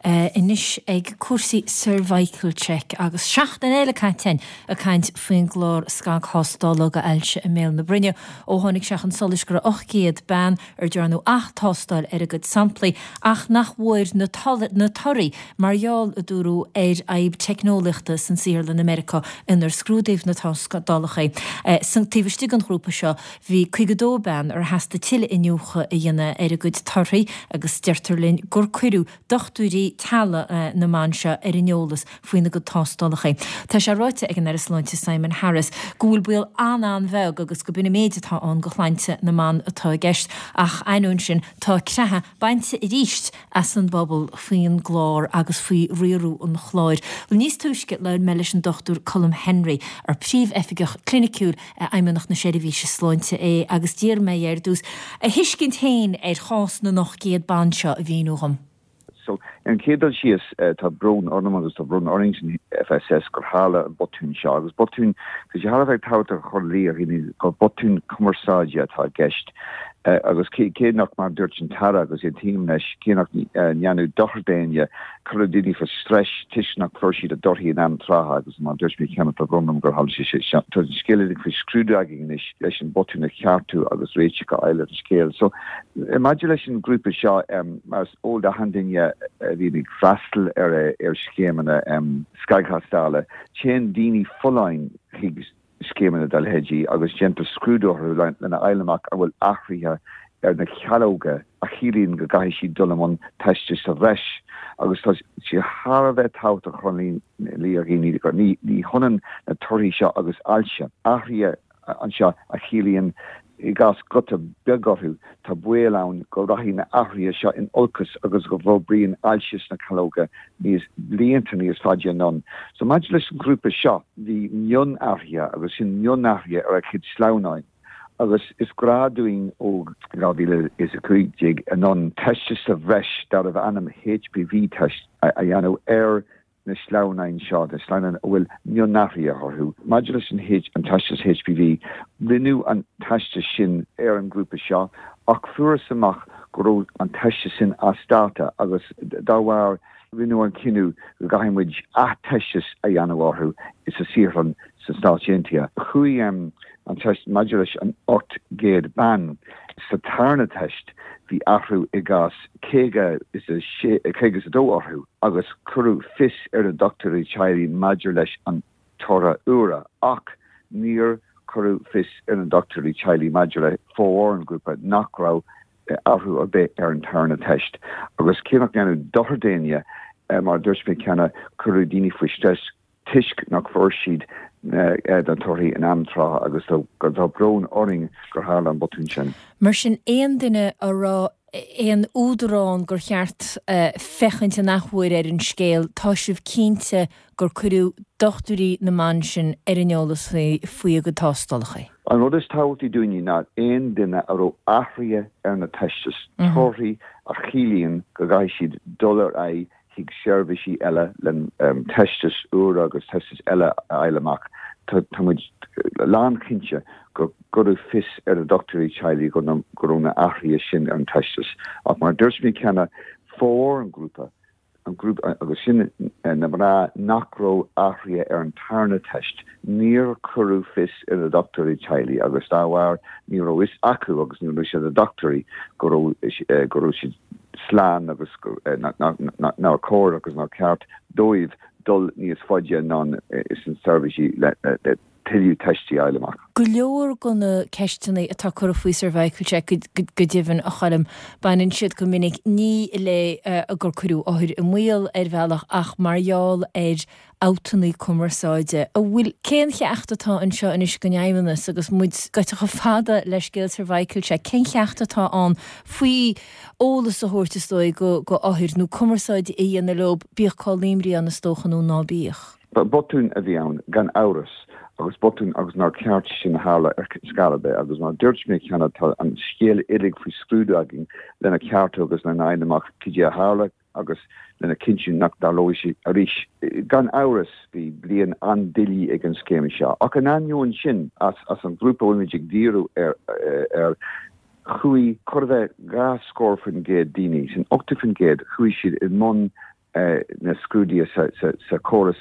Anois ag cúrsaí Cervical Check agus seachtain eile caite againn ag caint faoin gclár scagthástála do ailse i mbéal na broinne ó tháinig sé chun solais go raibh 800 bean ar dearnadh ath-tástáil ar a gcuid samplaí ach nach bhfuair na torthaí mar gheall, a dúradh, ar fhadhb teicneolaíochta san saotharlann i Meiriceá inar scrúdaíodh na tástálacha. San taobh istigh den ghrúpa seo bhí 52 bean ar theastaigh tuilleadh iniúchadh a dhéanamh ar a gcuid torthaí agus deirtear linn gur cuireadh dochtúirí teaghlaigh na mban seo ar an eolas faoina gcuid tástálacha. Tá sé ráite ag an Aire Sláinte Simon Harris go bhfuil baol an-an-bheag agus go b'in an méid atá ann do shláinte na mban atá i gceist ach ainneoin sin tá creathadh bainte arís as an bpobal faoin gclár agus faoi riaradh an chláir. Bhuel níos túisce labhair mé leis an Dr Colm Henry, ar Príomh-Oifigeach Cliniciúil i bhFeidhmeannacht na Seirbhíse Sláinte é agus d'iarr mé air ar dtús a thuiscint féin ar chás na n-800 ban seo a mhíniú dhom. So, ar an chéad dul síos, tá brón orm agus tá brón orainn san FSS gur tharla an botún seo agus botún, tá sé thar a bheith tábhachtach a chur in iúl do dhaoine gur botún cumarsáide atá i gceist agus cé nach, mar a dúirt an tAire agus aontaím leis, cé nach ndearnadh dochar d'éinne, Cuireadh daoine faoi stress toisc nach bhfuair siad a dtorthaí in am trátha agus mar a dúirt mé cheana tá brón orm gur tharla sé sin. Tá an scéal uilig faoi scrúdú againn anois leis an botún a cheartú agus réiteach a fháil ar an scéal. So, maidir leis an ngrúpa seo, mar is eol d'achan duine a bhíonn ag freastal ar ar scéimeanna scagthástála, téann daoine folláin chuig scéimeanna dá leithéidí agus déantar scrúdú orthu lena fháil amach an bhfuil athruithe ar na calóga a chiallaíonn go gcaithfidh siad dul i mbun teistis sa bhreis agus tá sé thar a bheith tábhachtach a chur in iúl do dhaoine gur ní hionann na torthaí seo agus ailse. Athruithe anseo a chiallaíonn I gcás guta beag orthu, tá baol ann go rachaidh na athruithe seo in olcas agus go bhforbraíonn ailse sna calóga níos blianta níos faide anonn. So maidir leis an ghrúpa seo, bhí mionathruithe, agus sin mionathruithe ar a gcuid sleamhnáin, agus is gnáth dúinn ó 2015 anonn teistis sa bhreis darbh ainm HPV test a dhéanamh ar na sleamhnáin seo, na sleamhnáin a bhfuil mionathruithe orthu. Maidir leis an an teastas HPV, rinneadh an teastas sin ar an ngrúpa seo ach fuarthas amach go raibh an teastas sin as dáta agus dá bharr rinneadh an cinneadh go gcaithfidh muid ath-teastas a dhéanamh orthu sa saotharlann sna Stáit Aontaithe. Chuaigh an teist maidir leis an 800 bean sa tarna teist, bhí athrú i gcás 52 orthu agus cuireadh fios ar na dochtúirí teaghlaigh maidir leis an toradh úr ach níor cuireadh fios ar na dochtúirí teaghlaigh maidir le formhór an ghrúpa nach raibh athrú ar bith ar an tarna teist. Agus cé nach ndearnadh dochar d'éinne, mar a dúirt mé cheana, cuireadh daoine faoi stress toisc nach bhfuair siad na torthaí in am trátha agus tá brón orainn gur tharla an botún sin. Mar sin, aon duine a raibh aon údar ann gur cheart féachaint an athuair ar an scéal, tá sibh cinnte gur cuireadh dochtúirí na mban sin ar an eolas faoi a gcuid tástálacha? An rud is tábhachtaí dúinne ná aon duine a raibh athruithe ar na teistis, torthaí a chiallaíonn go gcaithfidh siad dul ar aghaidh chuig seirbhísí eile le teistis úra agus teistis eile a fháil amach. Tá muid lánchinnte gur cuireadh fios ar na dochtúirí teaghlaigh go raibh na athruithe sin ar an teistis. Ach mar a dúirt mé cheana, formhór an ghrúpa, an grúpa agus sin na mná nach raibh athruithe ar an tarna teist, níor cuireadh fios ar na dochtúirí teaghlaigh agus dá bharr ní raibh fhios acu agus ní raibh fhios ag na dochtúirí go raibh go raibh siad slán agus nár chóir agus nár cheart dóibh dul níos faide anonn sna seirbhísí le tuilleadh teistí a fháil amach. Go leor de na ceisteanna atá curtha faoi Cervical Check go deimhin, a Choilm, baineann siad go minic ní le gur cuireadh othair i mbaol ar bhealach ach mar gheall ar fhabhtanna cumarsáide. An bhfuil, cén cheacht atá anseo anois don Fheidhmeannas agus muid gaibhte chomh fada le scéal Cervical Check, cén cheacht atá ann faoi eolas a thabhairt is dóigh go go othair nó cumarsáid a dhéanamh leo, bíodh call imní ann is dócha nó ná bíodh? Botún a bhí ann, gan amhras, agus botún agus nár cheart sin a tharla ar scor ar bith agus mar a dúirt mé cheana tá an scéal uilig faoi scrúdú againn lena cheartú agus lena fháil amach cad é a tharla, agus lena chinntiú nach dtarlóidh sé arís. Gan amhras, bhí bliain an-doiligh ag an scéim seo, ach in ainneoin sin, as an ghrúpa a bhfuilimid ag díriú air, chuaigh chóir a bheith 20% daoine, sin 80%, chuaigh siad i mbun. Na scrúduithe sa chóras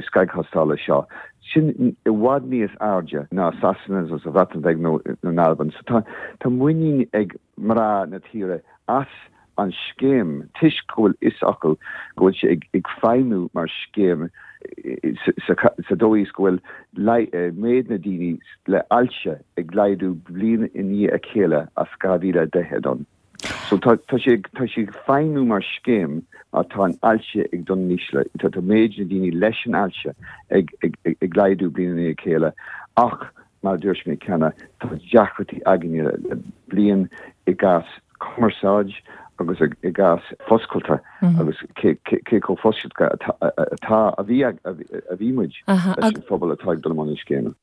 scagthástála seo, sin i bhfad níos airde ná Sasana nó sa Bhreatain Bheag nó in Albain. So tá muinín ag mná na tíre as an scéim toisc go bhfuil fhios acu go bhfuil sé ag feidhmiú mar scéim sa dóigh is go bhfuil méid na daoine le ailse ag laghdú bliain i ndiaidh a chéile as 2010 anonn. So tá tá sé tá sé ag feidhmiú mar scéim ach tá an ailse ag dul in ísle. Tá tá méid na daoine leis an ailse ag ag ag laghdú bliain i ndiaidh a chéile ach mar a dúirt mé cheana tá deacrachtaí againne le bliain i gcás cumarsáid agus i gcás foscailte agus cé cé chomh foscailte atá atá a bhí a bhí muid leis an phobal atá ag dul i mbun na scéime.